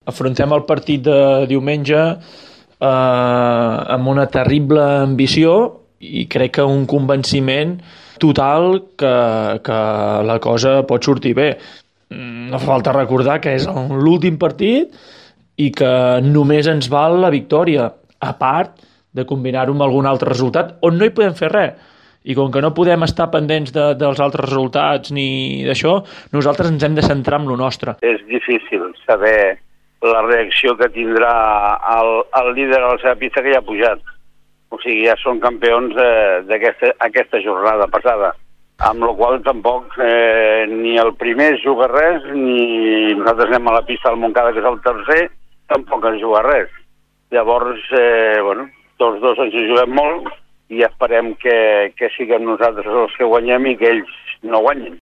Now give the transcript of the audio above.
Afrontem el partit de diumenge amb una terrible ambició i crec que un convenciment total que la cosa pot sortir bé. No fa falta recordar que és l'últim partit i que només ens val la victòria, a part de combinar-ho amb algun altre resultat on no hi podem fer res. I com que no podem estar pendents dels altres resultats ni d'això, nosaltres ens hem de centrar en lo nostre. És difícil saber la reacció que tindrà el líder a la seva pista, que ja ha pujat. O sigui, ja són campions d'aquesta jornada passada. Amb la qual tampoc ni el primer juga res, ni nosaltres anem a la pista del Montcada, que és el tercer, tampoc ens juga res. Llavors, tots dos ens juguem molt i esperem que siguem nosaltres els que guanyem i que ells no guanyin.